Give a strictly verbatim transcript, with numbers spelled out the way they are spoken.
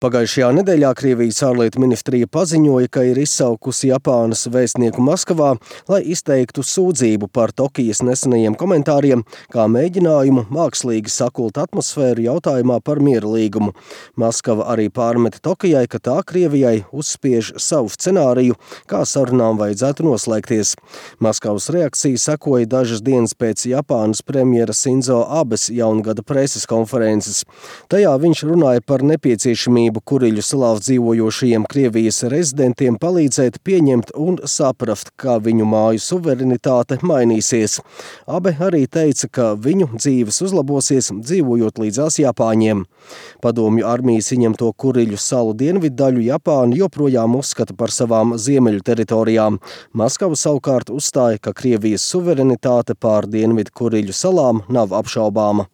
Pagājušajā nedēļā Krievijas ārlietu ministrija paziņoja, ka ir izsaukusi Japānas vēstnieku Maskavā, lai izteiktu sūdzību par Tokijas nesenajiem komentāriem, kā mēģinājumu mākslīgi sakult atmosfēru jautājumā par miera līgumu. Maskava arī pārmeta Tokijai, ka tā Krievijai uzspiež savu scenāriju, kā sarunām vajadzētu noslēgties. Maskavas reakcija sekoja dažas dienas pēc Japānas premjera Sinzo Abes jaungada preses konferences. Tajā viņš runāja par nepieciešamību Kuriļu salā dzīvojošajiem Krievijas rezidentiem palīdzēt pieņemt un saprast, kā viņu māju suverenitāte mainīsies. Abe arī teica, ka viņu dzīves uzlabosies, dzīvojot līdzās Japāņiem. Padomju armijas ieņemto Kuriļu salu dienviddaļu Japāna joprojām uzskata par savām ziemeļu teritorijām. Maskava savukārt uzstāja, ka Krievijas suverenitāte pār dienvidu Kuriļu salām nav apšaubāma.